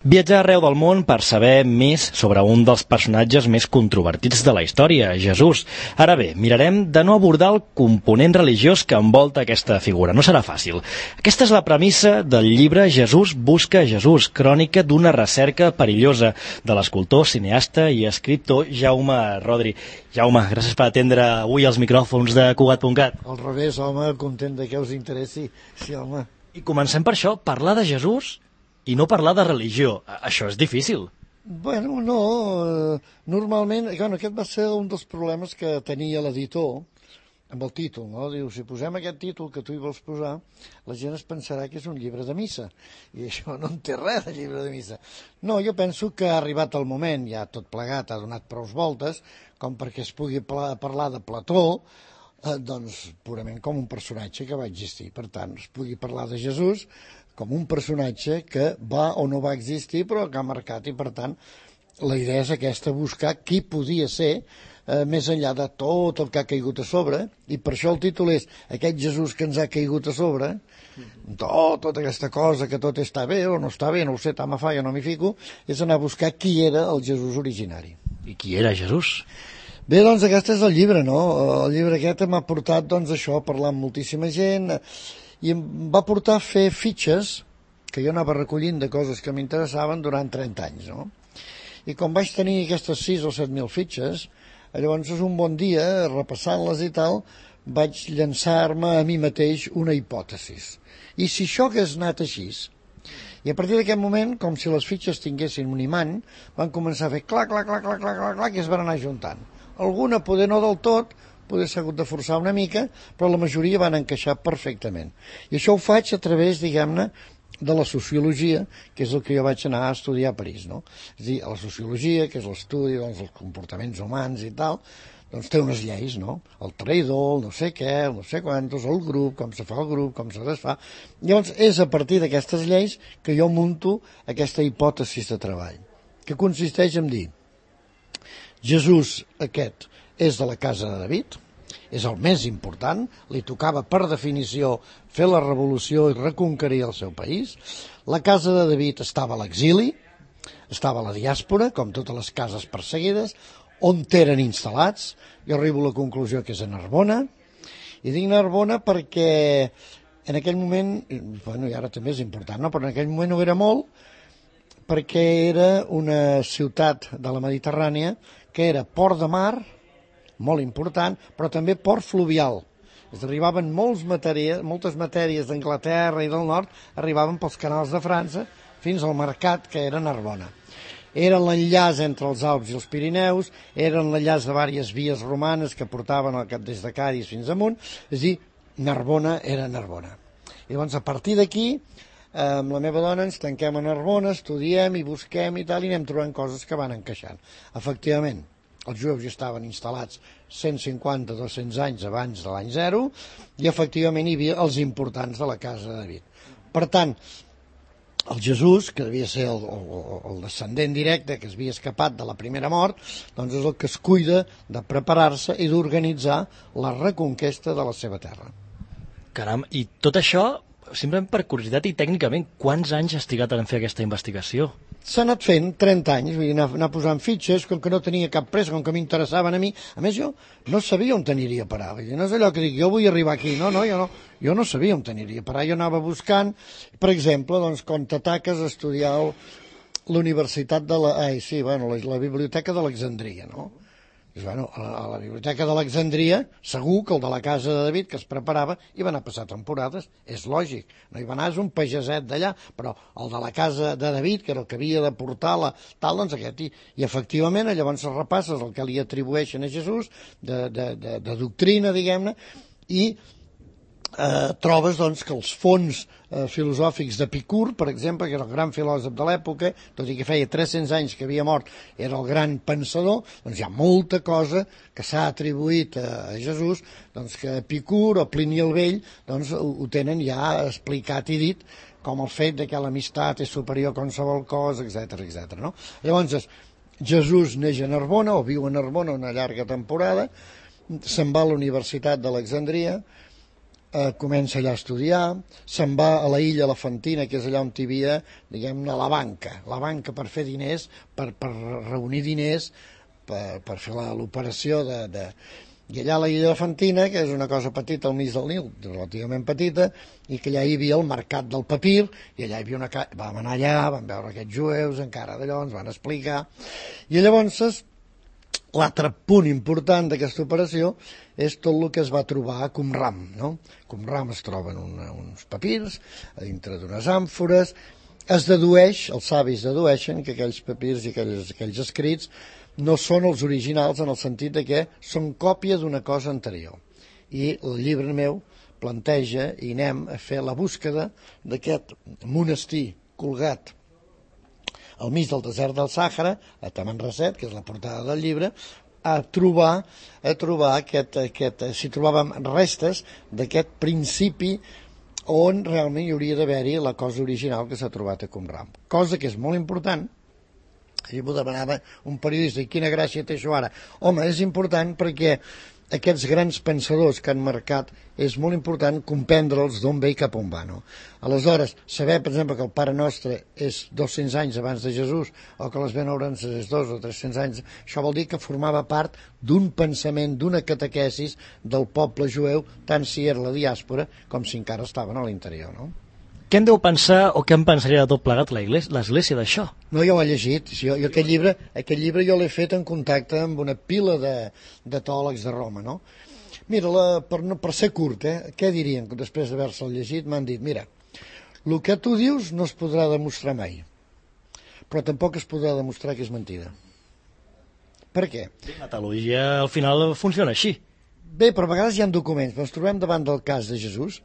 Viatjar arreu del món per saber més sobre un dels personatges més controvertits de la història, Jesús. Ara bé, mirarem de no abordar el component religiós que envolta aquesta figura. No serà fàcil. Aquesta és la premissa del llibre Jesús busca Jesús, crònica d'una recerca perillosa de l'escultor, cineasta i escriptor Jaume Rodri. Jaume, gràcies per atendre avui els micròfons de Cugat.cat. Al revés, home, content de que us interessi. Sí, home. I comencem per això, parlar de Jesús i no parlar de religió. Això és difícil. Bueno, no. Normalment, aquest va ser un dels problemes que tenia l'editor amb el títol, no? Diu, si posem aquest títol que tu hi vols posar, la gent es pensarà que és un llibre de missa. I això no en té res de llibre de missa. No, jo penso que ha arribat el moment, ja tot plegat, ha donat prou voltes, com perquè es pugui parlar de Plató, doncs purament com un personatge que va existir. Per tant, es pugui parlar de Jesús com un personatge que va o no va existir però que ha marcat, i per tant la idea és aquesta, buscar qui podia ser més enllà de tot el que ha caigut a sobre, i per això el títol és aquest Jesús que ens ha caigut a sobre, tota aquesta cosa que tot està bé o no està bé, no ho sé, tant me fa, jo no m'hi fico, és anar a buscar qui era el Jesús originari. I qui era Jesús? Bé, doncs aquest és el llibre, no? El llibre aquest m'ha portat, doncs, això, a parlar amb moltíssima gent, i em va portar a fer fitxes que jo anava recollint de coses que m'interessaven durant 30 anys, no? I com vaig tenir aquestes 6 o 7.000 fitxes, llavors és un bon dia, repassant-les i tal, vaig llançar-me a mi mateix una hipòtesi. I si això hagués anat així? I a partir d'aquest moment, com si les fitxes tinguessin un imant, van començar a fer clac, clac, clac, clac, clac, clac, clac, i es van anar juntant. Alguna, poder no del tot, poder s'ha hagut de forçar una mica, però la majoria van encaixar perfectament. I això ho faig a través, diguem-ne, de la sociologia, que és el que jo vaig anar a estudiar a París, no? És a dir, la sociologia, que és l'estudi dels comportaments humans i tal, doncs té unes lleis, no? El traïdor, el no sé què, el no sé quantos, el grup, com se fa el grup, com se desfà. Llavors, és a partir d'aquestes lleis que jo munto aquesta hipòtesi de treball, que consisteix en dir Jesús aquest és de la casa de David, és el més important, li tocava per definició fer la revolució i reconquerir el seu país. La casa de David estava a l'exili, estava a la diàspora, com totes les cases perseguides, on eren instal·lats. Jo arribo a la conclusió que és a Narbona, i dic Narbona perquè en aquell moment, bueno, i ara també és important, no? Però en aquell moment ho era molt, perquè era una ciutat de la Mediterrània que era port de mar, molt important, però també port fluvial. Arribaven moltes matèries d'Anglaterra i del nord, arribaven pels canals de França fins al mercat que era Narbona. Era l'enllaç entre els Alps i els Pirineus, era l'enllaç de diverses vies romanes que portaven des de Cadis fins amunt, és a dir, Narbona era Narbona. I llavors, a partir d'aquí, amb la meva dona ens tanquem a Narbona, estudiem i busquem i tal, i anem trobant coses que van encaixant. Efectivament, els jueus ja estaven instal·lats 150-200 anys abans de l'any 0, i efectivament hi havia els importants de la casa de David. Per tant, el Jesús, que devia ser el descendent directe que es havia escapat de la primera mort, doncs és el que es cuida de preparar-se i d'organitzar la reconquesta de la seva terra. Caram, i tot això, simplement per curiositat i tècnicament, quants anys has trigat en fer aquesta investigació? S'ha anat fent 30 anys, vull dir, anar posant fitxes, com que no tenia cap pressa, com que m'interessaven a mi. A més, jo no sabia on aniria a parar. Vull dir, no és allò que dic, jo vull arribar aquí. No, jo no sabia on aniria a parar. Jo anava buscant, per exemple, doncs, quan t'ataques a estudiar la Universitat de la Biblioteca d'Alexandria, no? Bueno, a la Biblioteca d'Alexandria, segur que el de la casa de David, que es preparava, hi va anar a passar temporades, és lògic, no hi va anar, és un pageset d'allà, però el de la casa de David, que era el que havia de portar tal, doncs aquest, i efectivament, llavors repasses el que li atribueixen a Jesús, de doctrina, diguem-ne, i trobes doncs, que els fons filosòfics d'Epicur, per exemple, que era el gran filòsof de l'època, tot i que feia 300 anys que havia mort, era el gran pensador, doncs hi ha molta cosa que s'ha atribuït a Jesús, doncs que Epicur o Plini el Vell doncs, ho tenen ja explicat i dit, com el fet de que l'amistat és superior a qualsevol cosa, etc. No? Llavors, Jesús neix a Narbona, o viu a Narbona una llarga temporada, se'n va a la Universitat d'Alexandria, comença allà a estudiar, se'n va a la illa Elefantina, que és allà on hi havia, diguem-ne, la banca per fer diners, per reunir diners, per fer l'operació I allà a la illa Elefantina, que és una cosa petita al mig del Nil, relativament petita, i que allà hi havia el mercat del papir, i allà hi havia vam anar allà, vam veure aquests jueus, encara d'allò, ens van explicar, i llavors l'altre punt important d'aquesta operació és tot el que es va trobar a Qumran, no? A Qumran es troben uns papirs a dintre d'unes àmfores, es dedueix, els savis dedueixen que aquells papirs i aquells escrits no són els originals en el sentit de que són còpia d'una cosa anterior. I el llibre meu planteja i anem a fer la búsqueda d'aquest monestir colgat al mig del desert del Sàhara, a Tamanrasset, que és la portada del llibre, a trobar si trobàvem restes d'aquest principi on realment hi hauria d'haver-hi la cosa original que s'ha trobat a Qumran. Cosa que és molt important. I m'ho demanava un periodista, i quina gràcia té això ara? Home, és important perquè aquests grans pensadors que han marcat és molt important comprendre'ls d'on ve i cap on va, no? Aleshores, saber, per exemple, que el Pare Nostre és 200 anys abans de Jesús o que les Benaurances és 200 o 300 anys, això vol dir que formava part d'un pensament, d'una catequesis del poble jueu, tant si era la diàspora com si encara estaven a l'interior, no? Què en deu pensar o què en pensaria de tot plegat l'Església d'això? No, jo ho he llegit. Jo aquest llibre jo l'he fet en contacte amb una pila de teòlegs de Roma, no? Mira, per ser curt, què dirien després d'haver-se'l llegit? M'han dit, mira, el que tu dius no es podrà demostrar mai, però tampoc es podrà demostrar que és mentida. Per què? La teologia al final funciona així. Bé, però a vegades hi ha documents. Ens trobem davant del cas de Jesús,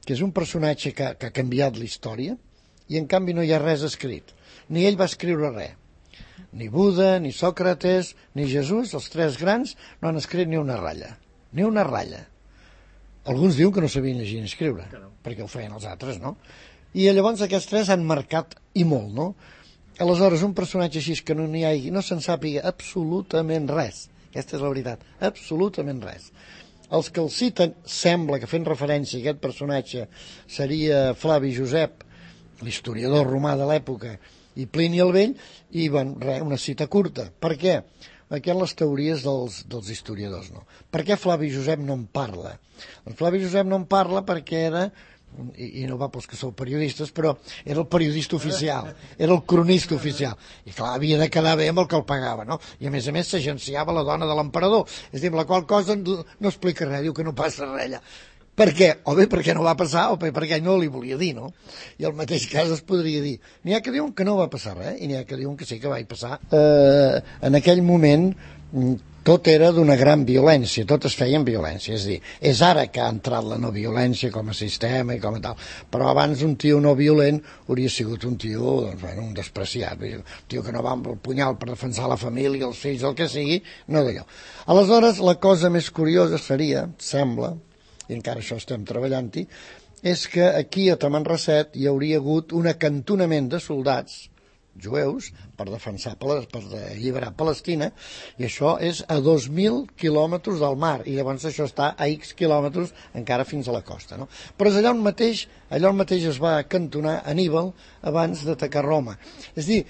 que és un personatge que ha canviat la història, i en canvi no hi ha res escrit. Ni ell va escriure res. Ni Buda, ni Sòcrates, ni Jesús, els tres grans, no han escrit ni una ratlla. Ni una ratlla. Alguns diuen que no sabien llegir ni escriure, perquè ho feien els altres, no? I llavors aquests tres han marcat, i molt, no? Aleshores, un personatge així que no se'n sàpiga absolutament res. Aquesta és la veritat. Absolutament res. Els que el citen, sembla que fent referència a aquest personatge seria Flavi Josep, l'historiador romà de l'època, i Plini el Vell, i una cita curta. Per què? Perquè les teories dels historiadors, no. Per què Flavi Josep no en parla? En Flavi Josep no en parla perquè era, i no va pels que sou periodistes, però era el periodista oficial, era el cronista oficial, i clar, havia de quedar bé amb el que el pagava, no? I a més s'agenciava la dona de l'emperador, és a dir, la qual cosa no explica res, diu que no passa res allà. Per què? O bé perquè no va passar, o bé perquè no li volia dir, no? I el mateix cas es podria dir. N'hi ha que diuen que no va passar res, i n'hi ha que diuen que sí que va passar. En aquell moment tot era d'una gran violència, tot es feia amb violència, és a dir, és ara que ha entrat la no violència com a sistema i com a tal, però abans un tio no violent hauria sigut un tio, doncs, bueno, un despreciat, un tio que no va amb el punyal per defensar la família, els fills, el que sigui, no d'allò. Aleshores, la cosa més curiosa seria, sembla, i encara això estem treballant-hi, és que aquí a Tamanrasset hi hauria hagut un acantonament de soldats jueus per alliberar Palestina, i això és a 2.000 quilòmetres del mar, i llavors això està a X quilòmetres encara fins a la costa, no? Però és allà on mateix es va acantonar Aníbal abans d'atacar Roma. És a dir,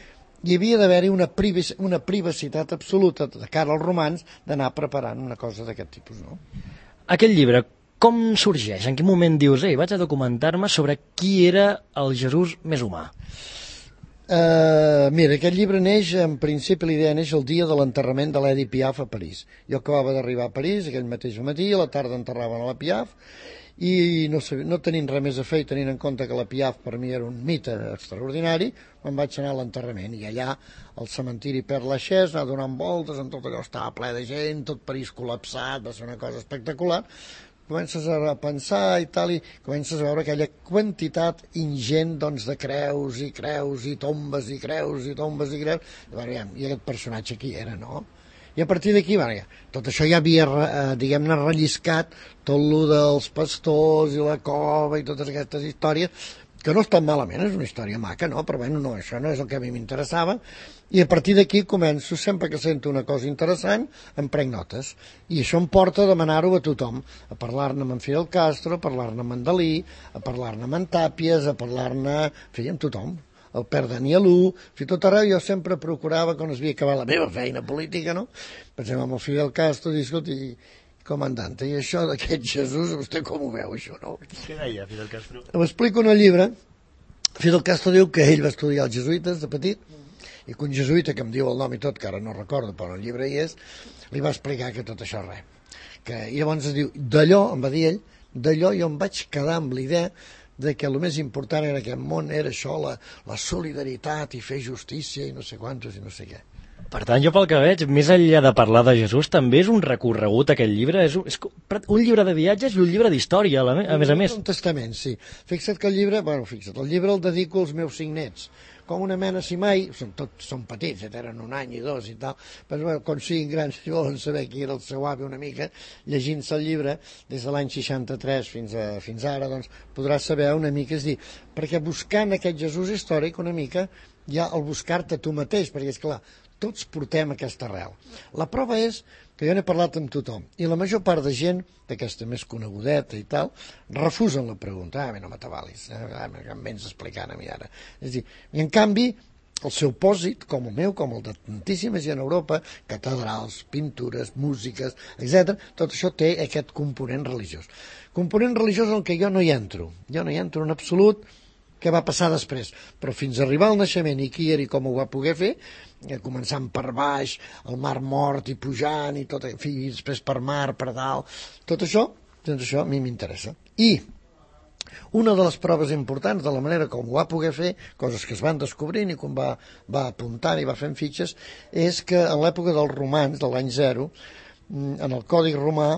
hi havia d'haver-hi una privacitat absoluta de cara als romans d'anar preparant una cosa d'aquest tipus, no? Aquest llibre, com sorgeix? En quin moment dius, vaig a documentar-me sobre qui era el Jesús més humà? Mira, aquest llibre neix, en principi l'idea neix el dia de l'enterrament de l'Edith Piaf a París. Jo acabava d'arribar a París aquell mateix matí, a la tarda enterraven a la Piaf, i no tenint res més a fer i tenint en compte que la Piaf per mi era un mite extraordinari, me'n vaig anar a l'enterrament, i allà al cementiri Père Lachaise, anar donant voltes, en tot allò estava ple de gent, tot París col·lapsat, va ser una cosa espectacular. Comences a pensar i tal, i comences a veure aquella quantitat ingent, doncs, de creus i tombes i creus i tombes i creus, i aquest personatge qui era, no? I a partir d'aquí, tot això ja havia, diguem-ne, relliscat tot lo dels pastors i la cova i totes aquestes històries, que no està malament, és una història maca, no? Però bueno, no, això no és el que a mi m'interessava, i a partir d'aquí començo, sempre que sento una cosa interessant, em prenc notes, i això em porta a demanar-ho a tothom, a parlar-ne amb en Fidel Castro, a parlar-ne amb en Dalí, a parlar-ne amb en Tàpies, a parlar-ne, en fi, amb tothom, el Pere Danielú, tot arreu jo sempre procurava, quan es havia acabat la meva feina política, no? Per exemple, amb el Fidel Castro, dic, escolta, comandante, i això d'aquest Jesús, vostè com ho veu, això, no? Què deia Fidel Castro? Ho explico en el llibre. Fidel Castro diu que ell va estudiar els jesuïtes de petit, i que un jesuïta, que em diu el nom i tot, que ara no recordo, però el llibre hi és, li va explicar que tot això res. I llavors es diu, d'allò, em va dir ell, d'allò jo em vaig quedar amb la idea de que el més important en aquest món era això, la solidaritat i fer justícia i no sé quantos i no sé què. Per tant, jo pel que veig, més enllà de parlar de Jesús, també és un recorregut aquest llibre, és un llibre de viatges i un llibre d'història, a més a més. Un testament, sí. Fixa't que el llibre el dedico als meus 5 nets, com una mena, si mai, són petits, tenen 1 any i 2 i tal, però bueno, quan siguin grans i volen saber qui era el seu avi una mica, llegint-se el llibre, des de l'any 63 fins ara, doncs podràs saber una mica, és dir, perquè buscant aquest Jesús històric una mica, hi ha el buscar-te tu mateix, perquè és clar, tots portem aquesta arrel. La prova és que jo n'he parlat amb tothom, i la major part de gent, d'aquesta més conegudeta i tal, refusen la pregunta. No m'atabalis, que em vens explicant a mi ara. És a dir, i en canvi, el seu pòsit, com el meu, com el de tantíssima gent a Europa, catedrals, pintures, músiques, etc., tot això té aquest component religiós. Component religiós en què jo no hi entro. Jo no hi entro en absolut, què va passar després, però fins a arribar al naixement i qui era i com ho va poder fer, començant per baix, el Mar Mort i pujant i tot, en fi, i després per mar, per dalt, tot això a mi m'interessa. I una de les proves importants de la manera com ho va poder fer, coses que es van descobrint i com va apuntant i va fent fitxes, és que en l'època dels romans, de l'any 0, en el Codi Romà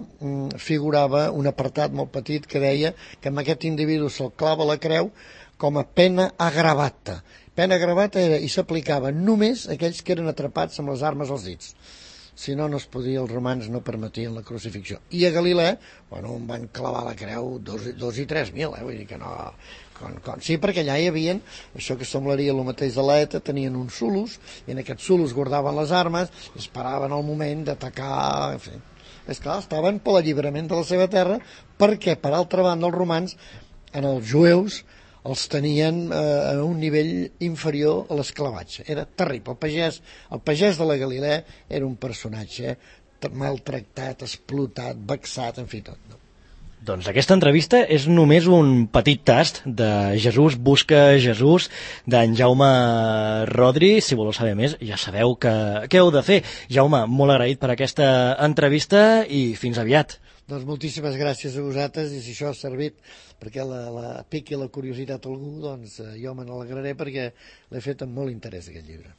figurava un apartat molt petit que deia que amb aquest individu se'l clava la creu com a pena agravata. Pena agravata era, i s'aplicava només a aquells que eren atrapats amb les armes als dits. Si no, no es podia, els romans no permetien la crucifixió. I a Galilea, bueno, em van clavar la creu 2 i 3.000, vull dir que no... Sí, perquè allà hi havia això que semblaria el mateix de l'ETA, tenien uns sulos, i en aquests sulos guardaven les armes, i esperaven el moment d'atacar, en fi. És clar, estaven per l'alliberament de la seva terra, perquè, per altra banda, els romans, en els jueus, els tenien a un nivell inferior a l'esclavatge. Era terrible. El pagès de la Galilea era un personatge maltractat, explotat, vexat, en fi, tot. No? Doncs aquesta entrevista és només un petit tast de Jesús busca Jesús, d'en Jaume Rodri. Si voleu saber més, ja sabeu què heu de fer. Jaume, molt agraït per aquesta entrevista i fins aviat. Doncs moltíssimes gràcies a vosaltres, i si això ha servit perquè la piqui la curiositat a algú, doncs jo me n'alegraré perquè l'he fet amb molt interès aquest llibre.